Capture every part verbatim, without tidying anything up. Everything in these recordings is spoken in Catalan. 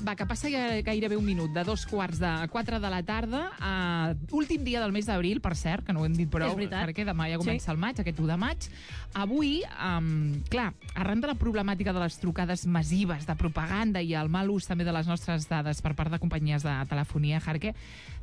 Va, que passa gairebé un minut, de dos quarts de quatre de la tarda, uh, últim dia del mes d'abril, per cert, que no ho hem dit prou, perquè demà ja comença sí. el maig, aquest u de maig. Avui, um, clar, arran de la problemàtica de les trucades massives de propaganda i el mal ús també de les nostres dades per part de companyies de telefonia, Jarque,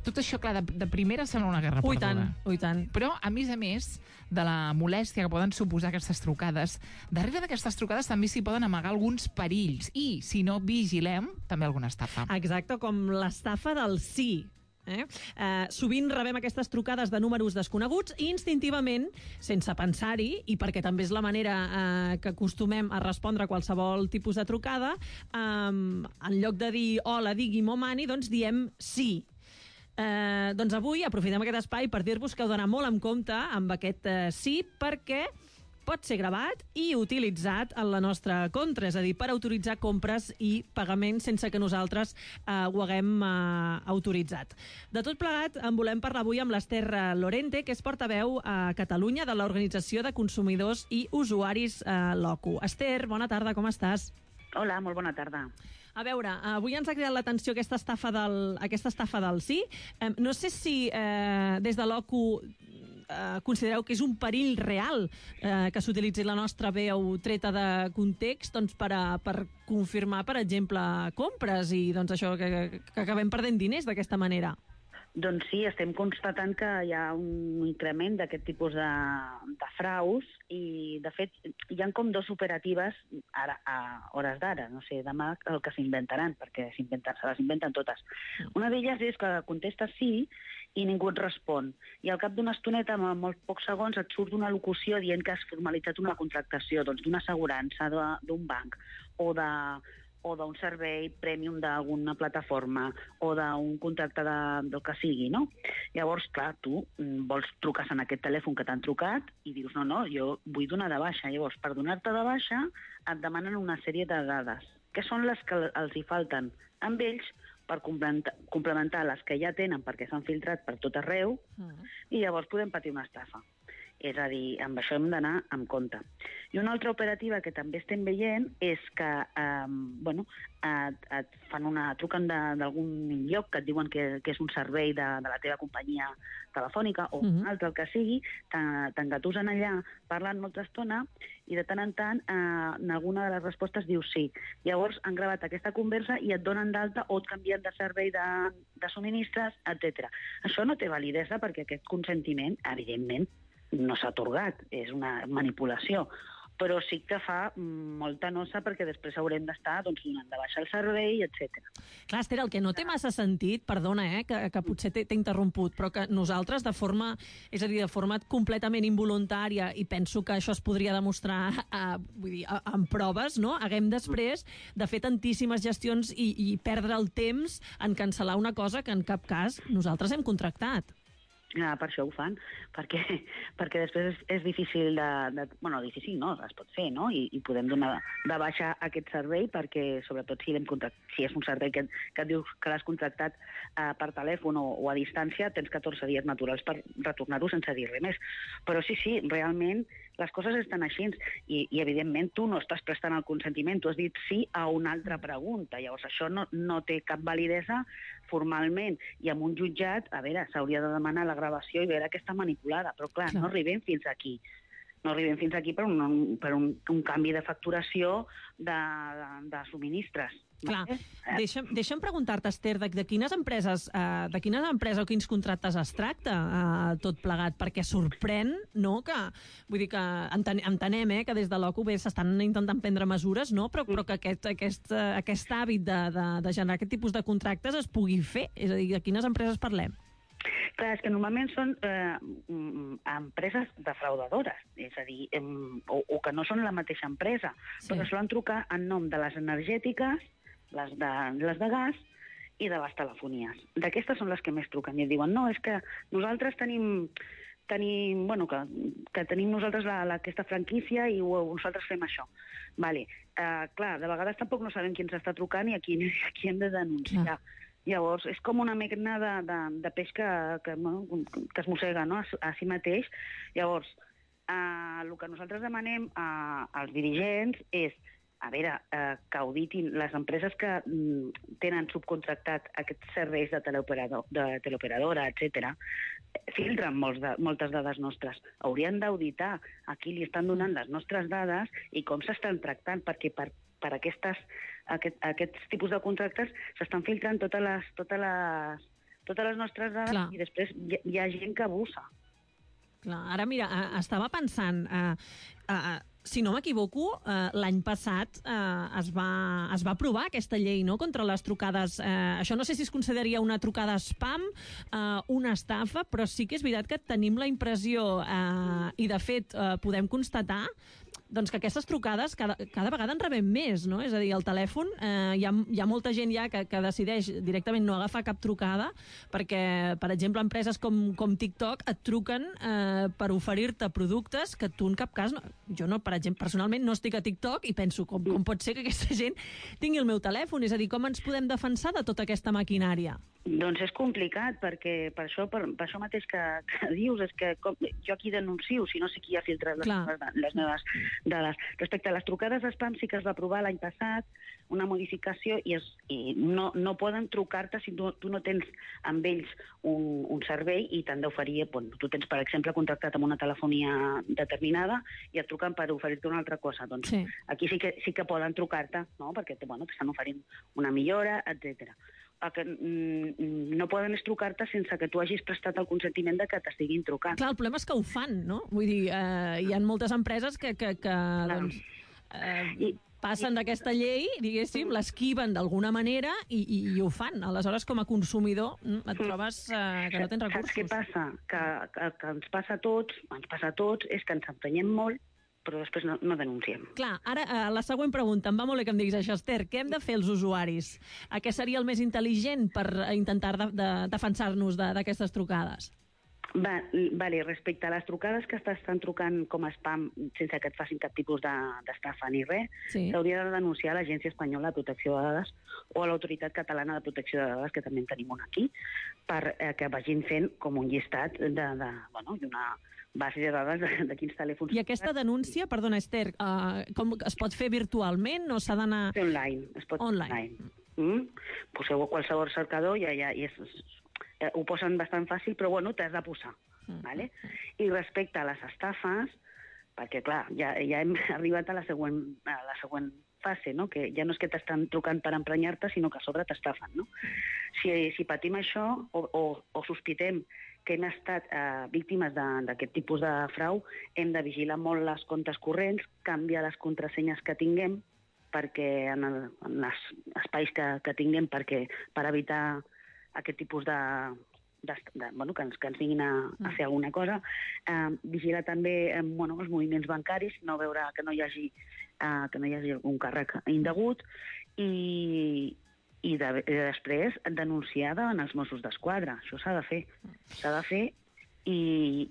tot això, clar, de, de primera sembla una guerra ui, perduda. Tant, ui, tant. Però, a més a més, de la molèstia que poden suposar aquestes trucades, darrere d'aquestes trucades també s'hi poden amagar alguns perills i, si no vigilem, també alguna estafa. Exacte, com l'estafa del sí. Eh? Eh, sovint rebem aquestes trucades de números desconeguts i instintivament, sense pensar-hi, i perquè també és la manera eh, que acostumem a respondre a qualsevol tipus de trucada, eh, en lloc de dir hola, digui'm o mani, doncs diem sí. Eh, doncs avui aprofitem aquest espai per dir-vos que heu d'anar molt en compte amb aquest eh, sí, perquè pot ser gravat i utilitzat en la nostra contra, és a dir, per autoritzar compres i pagaments sense que nosaltres eh, ho haguem eh, autoritzat. De tot plegat, en volem parlar avui amb l'Ester Lorente, que és portaveu a Catalunya de l'Organització de Consumidors i Usuaris eh, Locu. Ester, bona tarda, com estàs? Hola, molt bona tarda. A veure, avui ens ha cridat l'atenció aquesta estafa del, aquesta estafa del sí. Eh, no sé si eh, des de l'O C U eh, considereu que és un perill real eh, que s'utilitzi la nostra veu treta de context doncs, per, a, per confirmar, per exemple, compres i doncs, això que, que acabem perdent diners d'aquesta manera. Doncs sí, estem constatant que hi ha un increment d'aquest tipus de, de fraus i, de fet, hi ha com dos operatives ara, a hores d'ara. No sé, demà el que s'inventaran, perquè se les inventen totes. Una d'elles és que contestes sí i ningú et respon. I al cap d'una estoneta, en molts pocs segons, et surt una locució dient que has formalitzat una contractació doncs, d'una assegurança, d'un banc o de... o d'un servei premium d'alguna plataforma o d'un contracte de, del que sigui, no? Llavors, clar, tu vols trucar en aquest telèfon que t'han trucat i dius, no, no, jo vull donar de baixa. Llavors, per donar-te de baixa, et demanen una sèrie de dades, que són les que els hi falten amb ells per complementar les que ja tenen perquè s'han filtrat per tot arreu mm. i llavors podem patir una estafa. És a dir, amb això hem d'anar amb compte. I una altra operativa que també estem veient és que eh, bueno, et, et fan una, truquen d'algun lloc que et diuen que, que és un servei de, de la teva companyia telefònica o mm-hmm. un altre, el que sigui, t'engatusen allà parlant molta estona i de tant en tant eh, en alguna de les respostes dius sí. Llavors han gravat aquesta conversa i et donen d'alta o et canvien de servei de, de subministres, etcètera. Això no té validesa perquè aquest consentiment, evidentment, no s'ha atorgat, és una manipulació, però sí que fa molta nosa perquè després haurem d'estar doncs, donant de baixa el servei, etcètera. Clar, Esther, el que no té massa sentit, perdona, eh, que, que potser t'he interromput, però que nosaltres de forma, és a dir, de forma completament involuntària, i penso que això es podria demostrar eh, vull dir, amb proves, no? Haguem després de fer tantíssimes gestions i, i perdre el temps en cancel·lar una cosa que en cap cas nosaltres hem contractat. Ah, per això ho fan, perquè, perquè després és, és difícil de, de... Bueno, difícil no, es pot fer, no? I, i podem donar de baixa aquest servei perquè, sobretot, si, si és un servei que, que et dius que l'has contractat eh, per telèfon o, o a distància, tens catorze dies naturals per retornar-ho sense dir res més. Però sí, sí, realment les coses estan així i, i evidentment tu no estàs prestant el consentiment, tu has dit sí a una altra pregunta, llavors això no, no té cap validesa formalment, i amb un jutjat, a veure, s'hauria de demanar la gravació i veure que està manipulada, però clar, clar. no arribem fins aquí. No arribem fins aquí per un, per un, un canvi de facturació de, de, de subministres. Clar, eh? deixa'm, deixa'm preguntar-te, Esther, de, de quines empreses eh, de quines empreses o quins contractes es tracta eh, tot plegat, perquè sorprèn, no?, que, vull dir que enten, entenem eh, que des de l'O C U bé s'estan intentant prendre mesures, no?, però, però que aquest, aquest, aquest hàbit de, de, de generar aquest tipus de contractes es pugui fer, és a dir, de quines empreses parlem? Clar, és que normalment són eh, empreses defraudadores, és a dir, eh, o, o que no són la mateixa empresa, sí. però solen trucar en nom de les energètiques, les de, les de gas i de les telefonies. D'aquestes són les que més truquen i et diuen, no, és que nosaltres tenim, tenim bueno, que, que tenim nosaltres la, la, aquesta franquícia i ho, nosaltres fem això. Vale. Uh, clar, de vegades tampoc no sabem qui ens està trucant i a qui, a qui hem de denunciar. Ah. Llavors, és com una mena de, de, de peix que, que, que es mossega, no?, a, a si mateix. Llavors, eh, el que nosaltres demanem a, als dirigents és a veure, eh, que auditin les empreses que mm, tenen subcontractat aquests serveis de teleoperador, de teleoperadora, etcètera, filtren molts de, moltes dades nostres. Haurien d'auditar a qui li estan donant les nostres dades i com s'estan tractant, perquè per, per aquestes, aquest, aquests tipus de contractes s'estan filtrant totes les, totes les, totes les nostres dades. Clar. I després hi, hi ha gent que abusa. Clar, ara mira, estava pensant... Uh, uh, Si no m'equivoco, eh, l'any passat eh, es, va, es va aprovar aquesta llei, no?, contra les trucades. Eh, això no sé si es consideraria una trucada spam, eh, una estafa, però sí que és veritat que tenim la impressió, eh, i de fet eh, podem constatar, doncs que aquestes trucades cada, cada vegada en rebem més, no? És a dir, el telèfon, eh, hi, ha, hi ha molta gent ja que, que decideix directament no agafar cap trucada perquè, per exemple, empreses com, com TikTok et truquen eh, per oferir-te productes que tu en cap cas... No, jo, no, per exemple, personalment no estic a TikTok i penso com, com pot ser que aquesta gent tingui el meu telèfon? És a dir, com ens podem defensar de tota aquesta maquinària? Doncs és complicat, perquè per això, per, per això mateix que, que dius, és que com, jo aquí denuncio, si no sé qui ha filtrat les, meves, les meves dades. Respecte a les trucades spam, sí que es va aprovar l'any passat una modificació i, es, i no, no poden trucar-te si tu, tu no tens amb ells un, un servei i t'han d'oferir, bon, tu tens, per exemple, contractat amb una telefonia determinada i et truquen per oferir-te una altra cosa. Doncs sí. Aquí sí que, sí que poden trucar-te, no?, perquè bueno, t'estan oferint una millora, etcètera. El que mm, no poden és trucar-te sense que tu hagis prestat el consentiment de que t'estiguin trucant. Clar, el problema és que ho fan, no? Vull dir, eh, hi ha moltes empreses que, que, que doncs, eh, I, passen d'aquesta llei, diguéssim, l'esquiven d'alguna manera i, i, i ho fan. Aleshores, com a consumidor, et trobes eh, que no tens recursos. Saps què passa? Que, que, que ens passa a tots, ens passa a tots, és que ens emprenyem molt, però després no, no denunciem. Clar, ara eh, la següent pregunta, em va molt bé que em diguis això, Esther. Què hem de fer els usuaris? A què seria el més intel·ligent per intentar de, de defensar-nos d'aquestes trucades? Va, vale, respecte a les trucades que t'estan trucant com a spam sense que et facin cap tipus d'estafa ni res, s'hauria de denunciar a l'Agència Espanyola de Protecció de Dades o a l'Autoritat Catalana de Protecció de Dades, que també en tenim una aquí, per eh, que vagin fent com un llistat de, de, bueno, d'una base de dades de, de quins telèfons... I aquesta denúncia, perdona, Esther, uh, com es pot fer virtualment o s'ha d'anar... Online, es pot online. online. Mm? Poseu a qualsevol cercador i ja, ja és, eh, ho posen bastant fàcil, però bueno, t'has de posar. Mm. Vale? I respecte a les estafes, perquè clar, ja, ja hem arribat a la següent, a la següent fase, no? Que ja no és que t'estan trucant per emprenyar-te, sinó que a sobre t'estafen, no? Si, si patim això o, o, o sospitem que hem estat eh, víctimes d'aquest tipus de frau, hem de vigilar molt les comptes corrents, canviar les contrasenyes que tinguem perquè en, el, en els espais que, que tinguem perquè, per evitar aquest tipus de, de, de bueno, que, ens, que ens vinguin a, a fer alguna cosa. Eh, vigilar també eh, bueno, els moviments bancaris, no veure que no hi hagi, eh, que no hi hagi algun càrrec indegut i i de, de després denunciar davant els Mossos d'Esquadra. Això s'ha de fer. S'ha de fer i,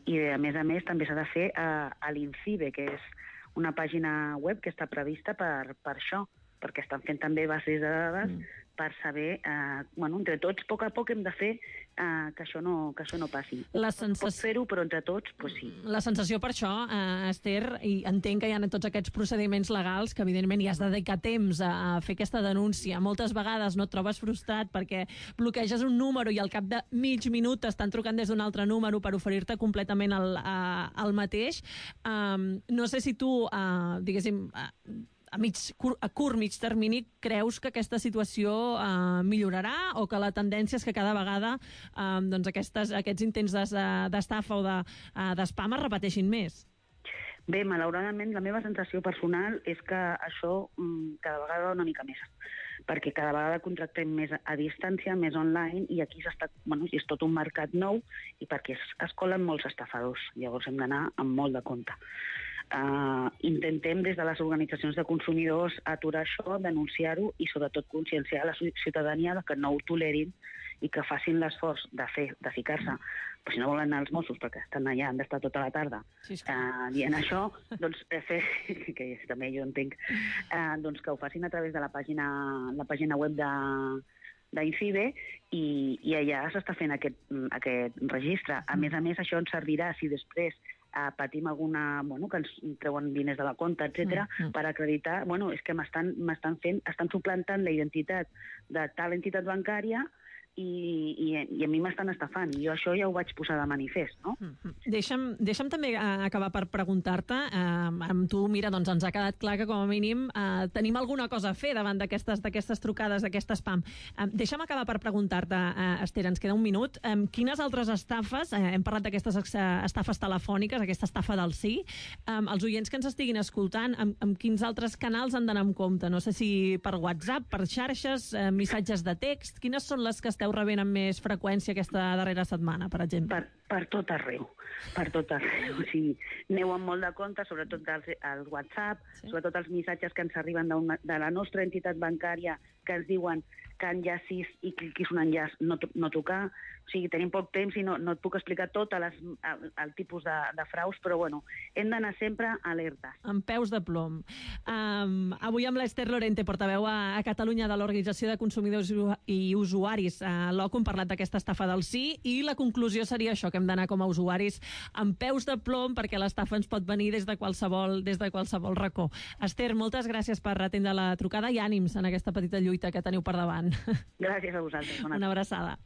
i, a més a més, també s'ha de fer a, a l'INCIBE, que és una pàgina web que està prevista per, per això, perquè estan fent també bases de dades mm. per saber, eh, bueno, entre tots, a poc a poc hem de fer eh, que, això no, que això no passi. La sensació... Pots fer-ho, però entre tots, pues sí. La sensació per això, eh, Esther, i entenc que hi ha tots aquests procediments legals que, evidentment, hi has de dedicar temps a, a fer aquesta denúncia. Moltes vegades no et trobes frustrat perquè bloqueges un número i al cap de mig minut t'estan trucant des d'un altre número per oferir-te completament el, a, el mateix. Um, no sé si tu, uh, diguéssim... Uh, a, mig, a curt, mig termini, creus que aquesta situació eh, millorarà o que la tendència és que cada vegada eh, doncs aquestes, aquests intents d'estafa o d'espam de, uh, es repeteixin més? Bé, malauradament, la meva sensació personal és que això mm, cada vegada va una mica més, perquè cada vegada contractem més a distància, més online, i aquí s'està, bueno, és tot un mercat nou i perquè es, es colen molts estafadors. Llavors hem d'anar amb molt de compte. Uh, intentem des de les organitzacions de consumidors aturar això, denunciar-ho i sobretot conscienciar la ciutadania de que no ho tolerin i que facin l'esforç de fer, de ficar-se, però si no volen anar als Mossos perquè estan allà, han d'estar tota la tarda sí, uh, dient això, doncs fer, que també jo entenc, uh, doncs que ho facin a través de la pàgina, la pàgina web de d'INCIBE i, i allà s'està fent aquest, aquest registre. A més a més, això ens servirà si després eh, patim alguna... Bueno, que ens treuen diners de la compta, etcètera, mm, mm. per acreditar... Bueno, és que m'estan m'estan fent... Estan suplantant la identitat de tal entitat bancària i, i, i a mi m'estan estafant. I jo això ja ho vaig posar de manifest, no? Mm-hmm. Deixa'm, deixa'm també uh, acabar per preguntar-te. Uh, amb tu, mira, doncs ens ha quedat clar que com a mínim uh, tenim alguna cosa a fer davant d'aquestes d'aquestes trucades, d'aquest spam. Uh, deixa'm acabar per preguntar-te, uh, Esther, ens queda un minut. Um, quines altres estafes, uh, hem parlat d'aquestes estafes telefòniques, aquesta estafa del sí, um, els oients que ens estiguin escoltant, amb, amb quins altres canals han d'anar amb compte? No sé si per WhatsApp, per xarxes, uh, missatges de text, quines són les que esteu rebent amb més freqüència aquesta darrera setmana, per exemple? Per, per tot arreu, per tot arreu. O sigui, aneu amb molt de compte, sobretot al, al WhatsApp, sí. Sobretot els missatges que ens arriben de la nostra entitat bancària que ens diuen que enllacis i cliquis un enllaç, no, no tocar. O sigui, tenim poc temps i no, no et puc explicar tot les, el, el tipus de, de fraus, però bueno, hem d'anar sempre alertes. Amb peus de plom. Um, avui amb l'Esther Lorente, portaveu a, a Catalunya de l'Organització de Consumidors i Usuaris, a l'O C U, hem parlat d'aquesta estafa del sí, i la conclusió seria això, que hem d'anar com a usuaris amb peus de plom, perquè l'estafa ens pot venir des de qualsevol, des de qualsevol racó. Esther, moltes gràcies per atendre la trucada i ànims en aquesta petita lluita que teniu per davant. Gràcies a vosaltres. Una abraçada.